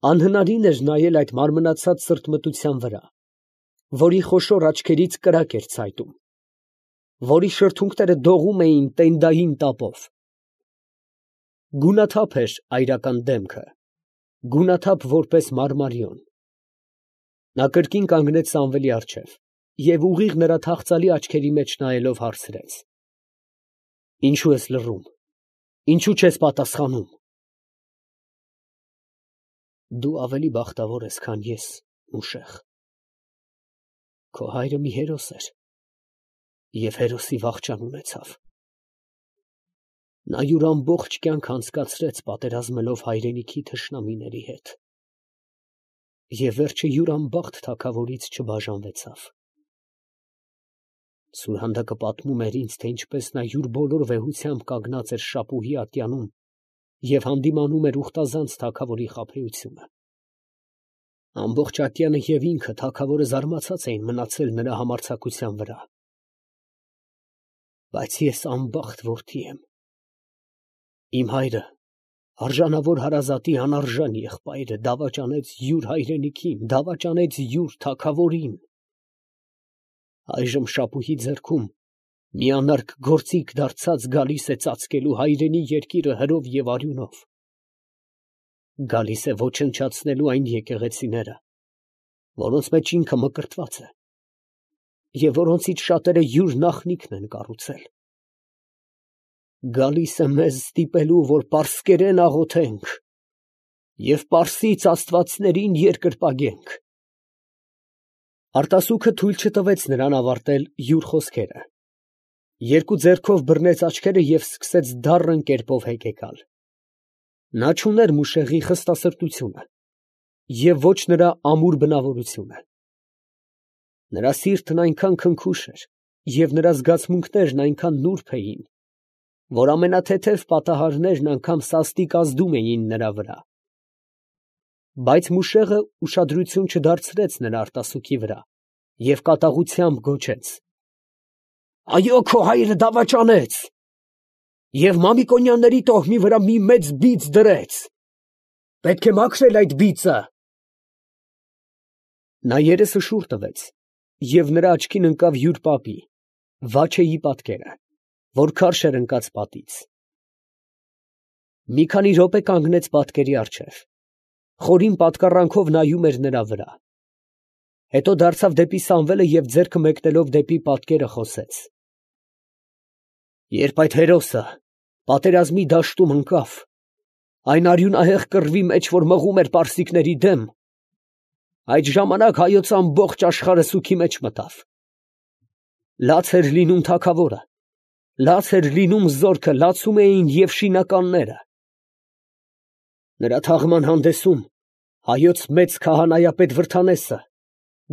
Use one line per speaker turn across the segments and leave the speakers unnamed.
Անհնարին էր նայել այդ մարմնացած սրտմտության վրա, որի խոշոր աչքերից կրակ էր ցայտում, որի շրթունքները դողում էին տենդային տապով։ Գունաթափ էր այրական դեմքը, գունաթափ որպես մարմարիոն։ Նա կրկին կանգնեց Սամվելի առջև և ուղիղ նրա թախծալի աչքերի մեջ նայելով հարցրեց. «Ինչո՞ւ ես լռում, ինչո՞ւ չես պատասխանում»։ Դու ավելի բախտավոր ես, քան ես, Մուշեղ։ Քո հայրը մի հերոս էր և հերոսի վախճան ունեցավ։ Նա յուր ամբողջ կյանքը անցկացրեց պատերազմելով հայրենիքի թշնամիների հետ և վերջը յուր անբախտ թագավորից չբաժանվեցավ։ Սուրհանդակը պատմում էր ինձ, թե ինչպես նա յուր բոլոր վեհությամբ կանգնած էր շապուհի ատյանում և հանդիմանում էր ուխտազանց թագավորի խաբեությունը։ Ամբողջ ատյանը և ինքը թագավորը զարմացած էին մնացել նրա համարձակության վրա։ Բայց ես անբախտ որդի եմ։ Իմ հայրը, արժանավոր հարազատի անարժան եղբայրը, դավաճանեց յուր հայրենիքին, դավաճանեց յուր թագավորին։ Այժմ շապուհի ձեռքում մի անարգ գործիք դարձած գալիս է ծածկելու հայրենի երկիրը հրով և արյունով։ Գալիս է ոչնչացնելու այն եկեղեցիները, որոնց մեջ ինքը մկրտված է և որոնցից շատերը յուր նախնիքն են կառուցել։ Գալիս է մեզ ստիպելու, որ պարսկերեն աղոթենք և պարսից աստվածներին երկրպագենք։ Արտասուքը թույլ չտվեց նրան ավարտել յուր խոսքերը. երկու ձեռքով բռնեց աչքերը և սկսեց դառն կերպով հեկեկալ։ Նա չուներ Մուշեղի խստասրտությունը և ոչ նրա ամուր բնավորությունը։ Նրա սիրտն այնքան քնքուշ էր և նրա զգացմունքներն այնքան նուրբ էին, որ ամենաթեթև պատահարներն անգամ սաստիկ ազդում էին նրա վրա։ Բայց Մուշեղը ուշադրություն չդարձրեց նրա արտասուքի վրա և կատաղությամբ գոչեց. «Այո, քո հայրը դավաճանեց և Մամիկոնյանների տոհմի վրա մի մեծ բիծ դրեց. պետք է մաքրել այդ բիծը»։ Նա երեսը շուռ տվեց և նրա աչքին ընկավ յուր պապի՝ Վաչեի պատկերը, որ քարշ էր ընկած պատից։ Մի քանի րոպե կանգնեց պատկերի առջև, խորին պատկառանքով նայում էր նրա վրա։ Հետո դարձավ դեպի Սամվելը և ձեռքը մեկնելով դեպի պատկերը խոսեց. «Երբ այդ հերոսը պատերազմի դաշտում ընկավ, այն արյունահեղ կռվի մեջ, որ մղում էր պարսիկների դեմ, այդ ժամանակ հայոց ամբողջ աշխարհը սուգի մեջ մտավ։ Լաց էր լինում թագավորը, լաց էր լինում զորքը, լացում էին և շինականները։ Նրա թաղման հանդեսում հայոց մեծ քահանայապետ Վրդանեսը,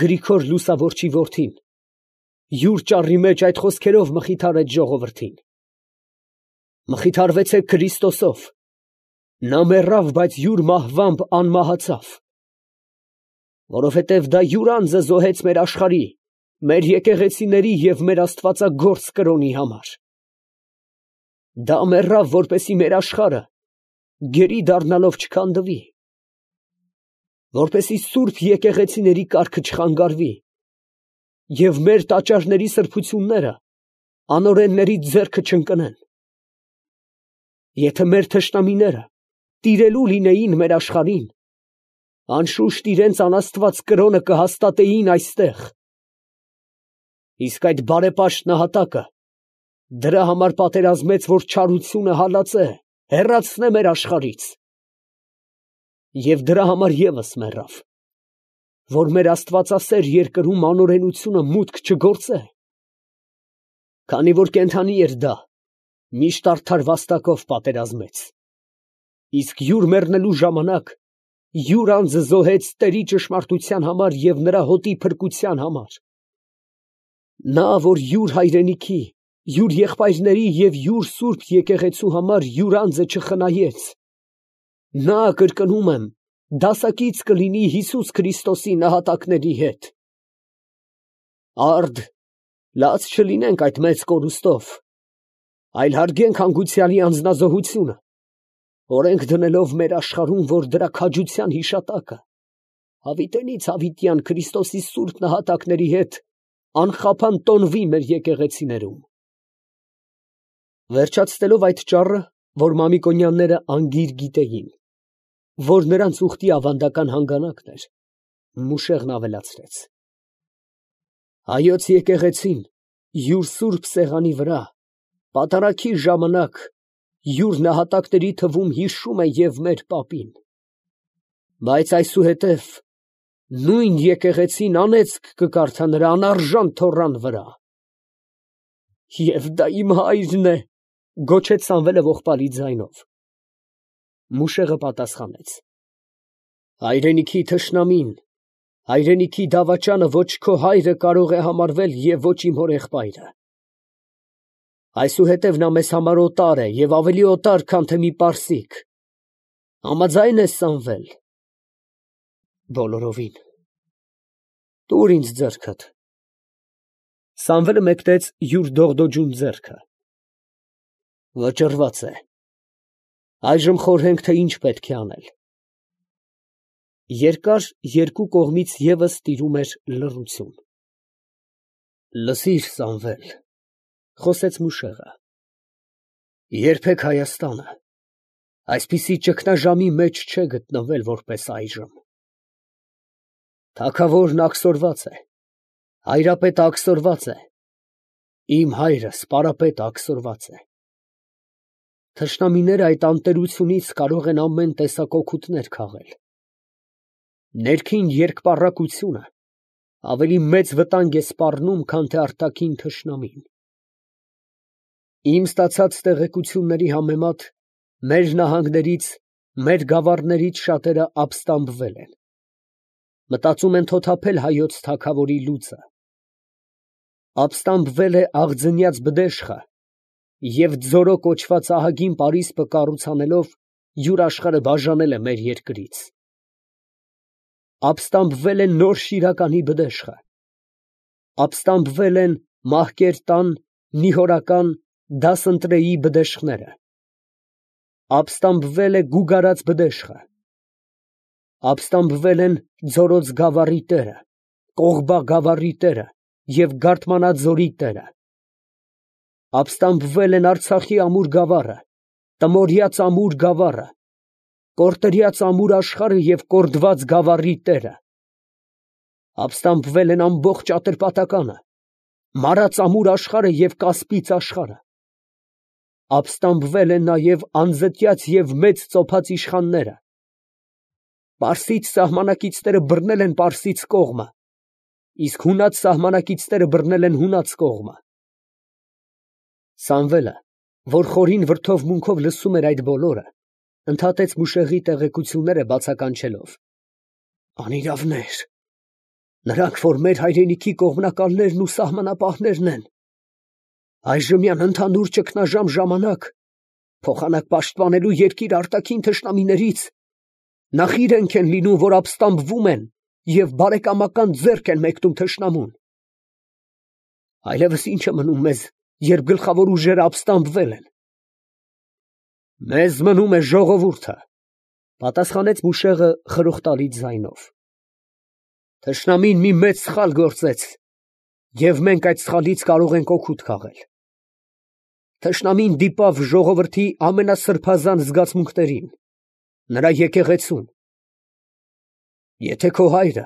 Գրիգոր լուսավորչի որդին, յուր ճառի մեջ այդ խոսքերով մխիթարեց ժողովրդին. «Մխիթարվեցեք Քրիստոսով. նա մեռավ, բայց յուր մահվամբ անմահացավ, որովհետև դա յուր անձը զոհեց մեր աշխարհի, մեր եկեղեցիների և մեր աստվածագործ կրոնի համար։ Դա մեռավ, որպեսզի մեր աշխարհը գերի դառնալով չքանդվի, որպեսզի սուրբ եկեղեցիների կարգը չխանգարվի և մեր տաճարների սրբությունները անօրենների ձեռքը չընկնեն։ Եթե մեր թշնամիները տիրելու լինեին մեր աշխարհին, անշուշտ իրենց անաստված կրոնը կհաստատեին այստեղ։ Իսկ այդ բարեպաշտ նահատակը դրա համար պատերազմեց, որ չարությունը հալածե, հեռացնե մեր աշխարհից, և դրա համար ևս մեռավ, որ մեր աստվածասեր երկրում անօրենությունը մուտք չգործե։ Քանի որ կենդանի էր դա, միշտ արդար վաստակով պատերազմեց, իսկ յուր մեռնելու ժամանակ յուր անձը զոհեց տերի ճշմարտության համար և նրա հոտի փրկության համար։ Նա, որ յուր հայրենիքի, յուր եղբայրների և յուր սուրբ եկեղեցու համար յուր անձը չխնայեց, նա, կրկնում եմ, դասակից կլինի Հիսուս Քրիստոսի նահատակների հետ։ Արդ, լաց չլինենք այդ մեծ կորուստով, այլ հարգենք հանգուցյալի անձնազոհությունը, օրենք դնելով մեր աշխարհում, որ դրա քաջության հիշատակը հավիտենից հավիտյան Քրիստոսի սուրբ նահատակների հետ անխափան տոնվի մեր եկեղեցիներում։ Վերջացնելով այդ ճառը, որ Մամիկոնյանները անգիր գիտեին, որ նրանց ուխտի ավանդական հանգանակն էր, Մուշեղն ավելացրեց. հայոց եկեղեցին յուր սուրբ սեղանի վրա պատարագի ժամանակ յուր նահատակների թվում հիշում է և մեր պապին, բայց այսուհետև նույն եկեղեցին անեծք կկարդա նրա անարժան թոռան վրա։ Եվ դա իմ հայրն է, գոչեց Սամվելը ողբալի ձայնով։ Մուշեղը պատասխանեց. հայրենիքի թշնամին, հայրենիքի դավաճանը ոչ քո հայրը կարող է համարվել և ոչ իմ հոր եղբայրը։ Այսուհետև նա մեզ համար օտար է և ավելի օտար, քան թե մի պարսիկ։ Համաձայն ես, Սամվել։ Բոլորովին։ Տուր ինձ ձեռքդ։ Սամվելը մեկնեց յուր դողդոջուն ձեռքը։ Վճռված է։ Այժմ խորհենք, թե ինչ պետք է անել։ Երկար երկու կողմից ևս տիրում էր լռություն։ Լսիր, Սամվել, խոսեց Մուշեղը, երբեք Հայաստանը այսպիսի ճգնաժամի մեջ չէ գտնվել, որպես այժմ։ Թագավորն աքսորված է, հայրապետը աքսորված է, իմ հայրս պարապետը աքսորված է։ Թշնամիները այդ անտերությունից կարող են ամեն տեսակ օգուտներ քաղել։ Ներքին երկպառակությունը ավելի մեծ վտանգ է սպառնում, քան թե արտաքին թշնամին։ Իմ ստացած տեղեկությունների համեմատ մեր նահանգներից, մեր գավառներից շատերը ապստամբվել են։ Մտածում են թոթափել հայոց թագավորի լուծը։ Ապստամբվել է աղձնյաց բդեշխը և ձորո կոչված ահագին պարիսպը կառուցանելով յուր աշխարհը բաժանել է մեր երկրից։ Ապստամբվել է նոր Շիրականի բդեշխը։ Ապստամբվել են Մահկերտան, Նիհորական, Դասընտրեի բդեշխները։ Ապստամբվել է Գուգարած բդեշխը։ Ապստամբվել են Ձորոց գավառի տերը, Կողբա գավառի տերը և Գարթմանաձորի տերը։ Ապստամբվել են Արցախի ամուր գավառը, Տնորիած ամուր գավառը, Կորտրյաց ամուր աշխարհը և Կորդված գավառի տերը։ Ապստամբվել են ամբողջ Ատրպատականը, Մարած ամուր աշխարհը և Կասպից աշխարհը։ Ապստամբվել են նաև անձտյաց և մեծ ծոփած իշխանները։ Պարսից սահմանակիցները բռնել են պարսից կողմը, իսկ հունած սահմանակիցները բռնել են հունած կողմը։ Սամվելը, որ խորին վրդովմունքով լսում էր այդ բոլորը, ընդհատեց Մուշեղի տեղեկությունները բացականչելով. անիրավներ, նրանք, որ մեր հայրենիքի կողմնակալներն ու սահմանապահներն են, այժմյան ընդհանուր ճգնաժամ ժամանակ, փոխանակ պաշտպանելու երկիր արտաքին թշնամիներից, նախ իրենք են լինում, որ ապստամբվում են և բարեկամական ձեռք են մեկնում թշնամուն։ Այլևս ինչ է մնում մեզ, երբ գլխավոր ուժերը ապստամբվել են։ Մեզ մնում է ժողովուրդը, պատասխանեց Մուշեղը խրոխտալի ձայնով։ Թշնամին մի մեծ սխալ գործեց, և մենք այդ սխալից կարող ենք օգուտ քաղել։ Թշնամին դիպավ ժողովրդի ամենասրբազան զգացմունքներին, նրա եկեղեցուն։ Եթե քո հայրը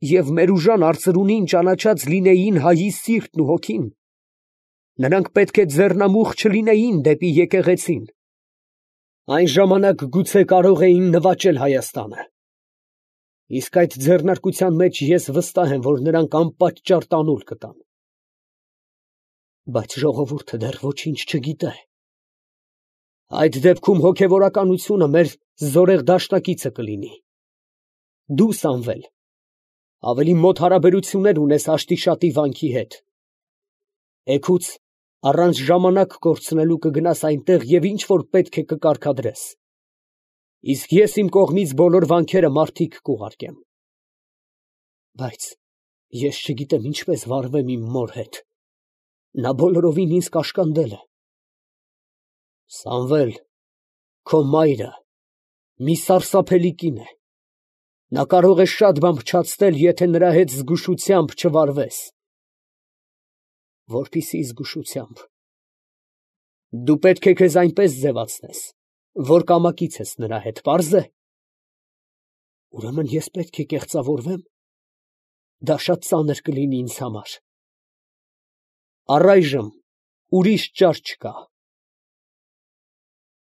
և Մերուժան արծրունին ճանաչած լինեին հայի սիրտն ու հոգին, նրանք պետք է ձեռնամուխ չլինեին դեպի եկեղեցին։ Այն ժամանակ գուցե կարող էին նվաճել Հայաստանը։ Իսկ այդ ձեռնարկության մեջ ես վստահ եմ, որ նրանք անպատճառ տանուլ կտան։ Բայց ժողովուրդը դեռ ոչինչ չգիտե։ Այդ դեպքում հոգևորականությունը մեր զորեղ դաշնակիցը կլինի։ Դու, Սամվել, ավելի մոտ հարաբերություններ ունես Աշտիշատի վանքի հետ։ Էգուց առանց ժամանակ կորցնելու կգնաս այնտեղ և ինչ որ պետք է կկարգադրես։ Իսկ ես իմ կողմից բոլոր վանքերը մարդիկ կուղարկեմ։ Բայց ես չգիտեմ ինչպես վարվեմ իմ մոր հետ։ Նա բոլորովին ինձ կաշկանդել է։ Սամվել, Քո մայրը մի սարսափելի կին է, նա կարող է շատ բան փչացնել, եթե նրա հետ զգուշությամբ չվարվես։ Որպիսի զգուշությամբ։ Դու պետք է քեզ այնպես ձևացնես, որ կամակից ես նրա հետ, պարզ է։ Ուրեմն ես պետք է կեղծավորվե՞մ։ Դա շատ ծանր կլինի ինձ համար։ Առայժմ ուրիշ ճար չկա։